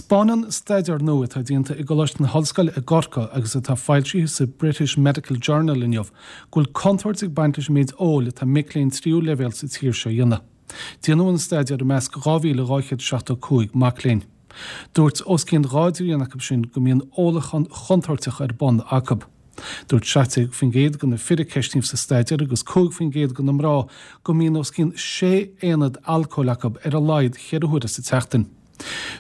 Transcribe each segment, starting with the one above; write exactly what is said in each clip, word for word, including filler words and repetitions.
Spáineann staidéar nua atá déanta i gColáiste na hOllscoile i gCorcaigh agus atá foilsithe sa British Medical Journal inniu go bhfuil contúirt ag baint leis an méid óil atá mic léinn tríú leibhéal sa tír seo a dhéanamh. Déanadh an staidéar i measc dhá mhíle dhá chéad seachtó cúig mac léinn. Dúirt os cionn dhá dtrian acu sin go mbíonn ólachán chontúirteach ar bun acu. Dúirt seacht déag faoin gcéad de na fir a ceistíodh sa staidéar agus cúig faoin gcéad de na mná go mbíonn os cionn sé aonad alcóil acu ar a laghad cheithre huaire sa tseachtain.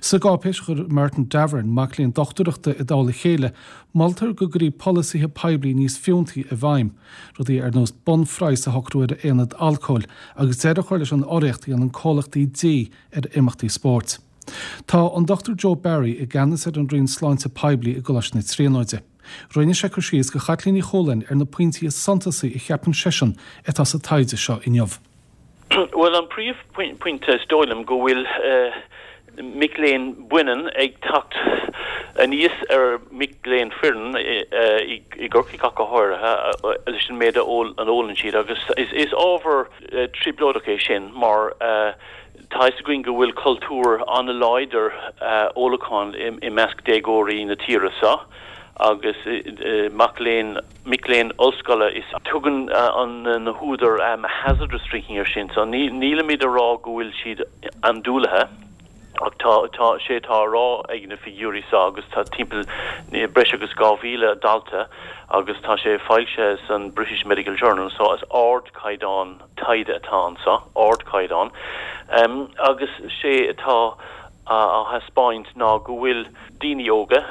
Sa gcáipéis a chuir Martin Davern, mac léinn dochtúireachta i dtoll a chéile, moltar go gcuirfí polasaithe poiblí níos fiúntaí i bhfeidhm, rudaí ar nós bunphraghas a shocrú ar aonad alcóil agus deireadh a chur leis an urraíocht a dhéanann comhlachtaí dí ar imeachtaí spóirt. Tá an Dochtúir Joe Barry i gceannas ar an Roinn Sláinte Poiblí i gColáiste na Tríonóide. Rinne sé cur síos do Chaitlín Uí Chualáin ar na pointí is suntasaí a cheapann seisean atá sa taighde seo inniu. Bhuel, an príomhphointe is dóigh liom go bhfuil mic léinn baineann ag teacht aníos ar mic léinn fireann i gCorcaigh ach go háirithe leis an méid a ólann siad agus is ábhar trioblóideach é sin mar tá fhios againn go bhfuil cultúr an-láidir ólacháin i measc déagóirí na tíre seo agus mac léinn, mic léinn ollscoile is tugann na húdair hazardous drinking air sin so nílimid a rá go bhfuil siad andúilithe ach tá tá sé tá á rá ag na figiúirí seo agus tá timpeall breis agus dhá mhíle dalta agus tá sé foilsithe san British Medical Journal so is ardchaighdeán taighde atá anseo, ardchaighdeán. Agus sé atá á thaispeáint ná go bhfuil daoine óga,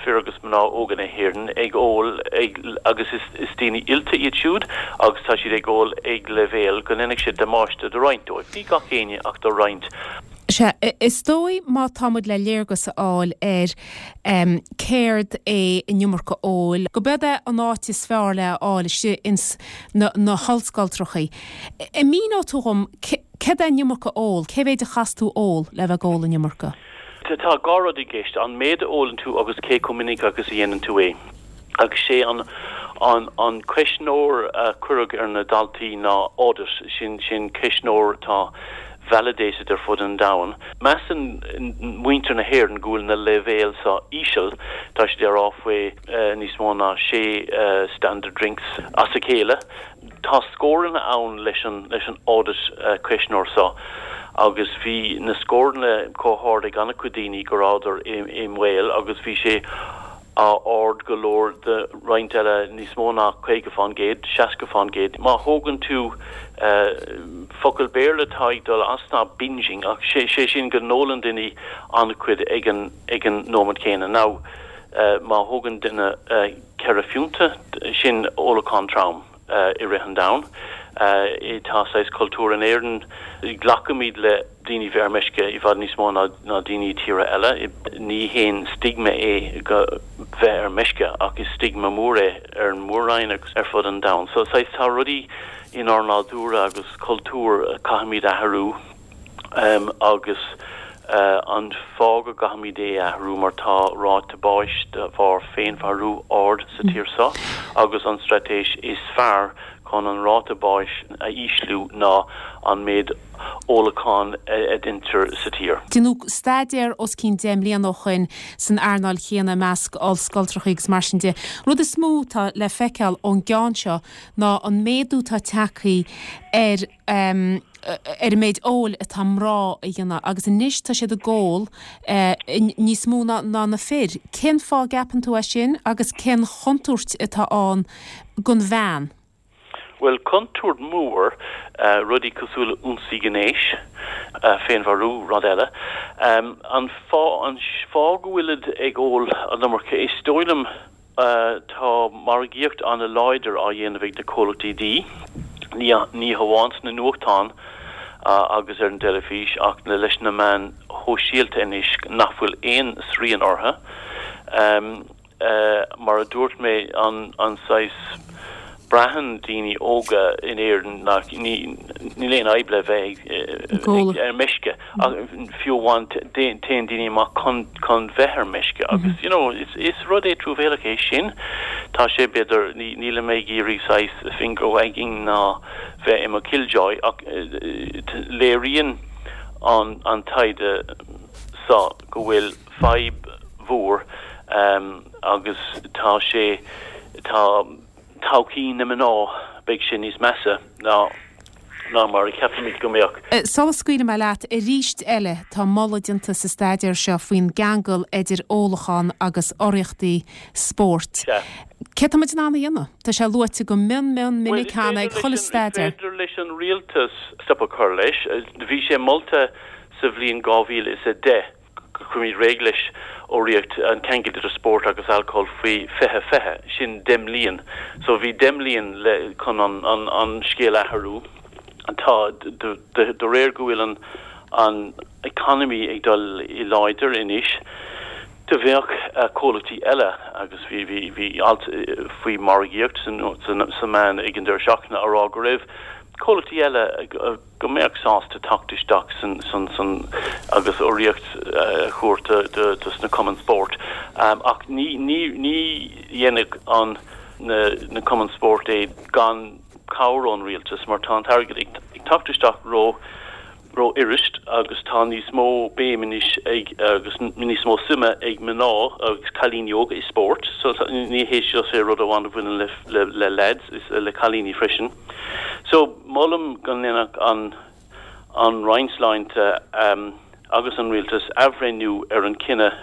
fir agus mná óga na hÉireann, ag ól ag agus is is daoine oilte iad siúd agus tá siad ag ól ag leibhéal go ndéanfaidh sé damáiste do roinnt dóibh, ní gach éinne ach do roinnt. Sea, is dóigh má tá muid le léargas a fháil ar céard é an iomarca óil, go b'eod é an áit is fearr le a fháil istigh ins na na hollscoltrachaí. An míneoidh tú dhom céard é an iomarca óil, cé mhéid a chaithfeas tú ól le bheith ag ól an iomarca? Tá dhá rud i gceist, an méid a ólann tú agus cé chomh minic agus a dhéanann tú é. Agus sé an an an ceistneoir a cuireadh ar na daltaí ná AUDIT, sin sin ceistneoir atá validated ar fud an domhain. Measann muintir na hÉireann go bhfuil na leibhéil seo íseal, tá siad ag rá faoi níos mó ná sé standard drinks as a chéile. Tá scóranna ann leis an leis an AUDIT ceistneoir seo agus bhí na scóranna chomh hard ag an-chuid daoine go rabhadar i i mbaol agus bhí sé ard go leor do roinnt eile, níos mó ná caoga fán gcéad, seasca fán gcéad. Má thógann tú focal Béarla atá ag dul as ná binging ach sé sé sin go n-ólann duine an-chuid ag an ag an nóiméad céanna. Now má thógann duine ceithre phiúnta, sin ólachán trom i rith an domhain. Tá saghas cultúr in Éirinn, glacaimid le daoine bheith ar meisce i bhfad níos mó ná ná daoine i tíortha eile. Ní haon stigma é go bheith ar meisce ach is stigma mór é ar an Mór-Roinn agus ar fud an domhain. So saghas tá rudaí inár nádúr agus cultúr a caithfimid athrú agus an fáth go gcaithfimid é a athrú mar tá ráta báis de bharr féinmharú ard sa tír seo agus an straitéis is fearr chun an ráta báis a ísliú ná an méid ólacháin a deintear sa tír. Déanadh staidéar os cionn deich mbliana ó shoin san earnáil chéanna i measc ollscoltrachaí agus mar sin de. Rud is mó atá le feiceáil ón gceann seo ná an méadú atá tagtha ar ar an méid óil atá mná a dhéanamh agus anois tá siad ag ól níos mó ná na fir. Cén fáth a gceapann tú é sin agus cén chontúirt atá ann don bhean? Bhuel, contúirt mhór, rudaí cosúil le ionsaí gnéis, féinmharú, rud eile. An fáth, an fáth go bhfuilid ag ól an iomarca, is dóigh liom tá margaíocht an-láidir á dhéanamh ag na comhlachtaí dí, ní, ní hamháin sna nuachtáin agus ar an dteilifís ach leis na meáin shóisialta anois nach bhfuil aon srian orthu. Mar a dúirt mé, an an saghas, braitheann daoine óga in Éirinn nach, níl aon fhadhb le bheith ag ar meisce ach fiú amháin téann daoine amach chun chun bheith ar meisce agus you know is is rud é truamhéalach é sin. Tá sé b'fhéidir, ní nílim ag iarraidh saghas finger wagging ná bheith i mo killjoy ach léiríonn an an taighde so go bhfuil fadhb mhór agus tá sé tá todhchaí na mná beidh sé níos measa ná ná mar a cheapaimid go mbeadh. Sula scaoilfidh mé leat arís eile tá moladh déanta sa staidéar seo faoin gceangal idir ólachán agus urraíochtaí spóirt. Cé tá muid in ann a dhéanamh? Tá sé luaite go mion mion minic cheana ag chuile staidéar. Is féidir leis an rialtas stop a chur leis. Bhí sé molta sa bhliain dhá mhíle is a deich go gcuirfimid réidh leis urraíocht an ceangal idir spórt agus alcól faoi fiche fiche, sin deich mbliain. So bhí deich mbliain le chun an an an scéal a athrú. Tá de de réir go bhfuil an an economy ag dul i láidir anois, do bheadh comhlachtaí eile agus bhí bhí bhí alt faoi margaíocht san sa meán ag an deireadh seachtaine á rá go raibh comhlachtaí eile go mbeadh sásta teacht isteach san san san agus urraíocht a thabhairt do do sna cumainn spóirt. Ach ní ní ní dhéanfadh an na na cumainn spóirt é gan cabhair ón rialtas mar tá an t-airgead ag teacht isteach ró rófhuirist agus tá níos mó béim anois ag agus níos mó suime ag mná agus cailíní óga i spórt so ní hé seo sé rud amháin a bhaineann le le le lads is le cailíní freisin. So molaim go ndéanfadh an an Roinn Sláinte um, agus an rialtas athbhreithniú ar an cinneadh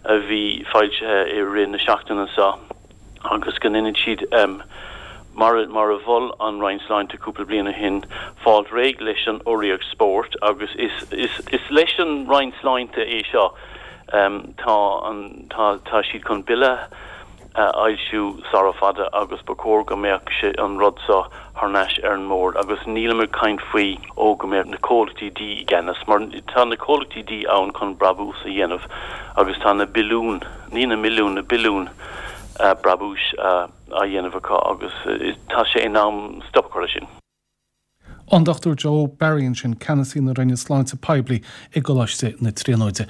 a bhí foilsithe i rith na seachtaine seo agus go ndéanfaidh siad um, mar a mhol an Roinn Sláinte cúpla bliain ó shin, fáil réidh leis an urraíocht spóirt agus is, is, is leis an Roinn Sláinte é seo. Tá an, tá, tá siad chun bille a fhoilsiú sara fada agus ba chóir go mbeadh sé an rud seo thar n-ais ar an mbord agus nílim ag caint faoi ó go mbeadh na comhlachtaí dí i gceannas mar tá na comhlachtaí dí ann chun brabús a dhéanamh agus tá na billiúin, ní na milliúin, na billiúin brabúis a á dhéanamh acu agus tá sé in am stop a chur leis sin. An Dochtúir Joe Barry ansin, Ceannasaí na Roinne Sláinte Poiblí i gColáiste na Tríonóide.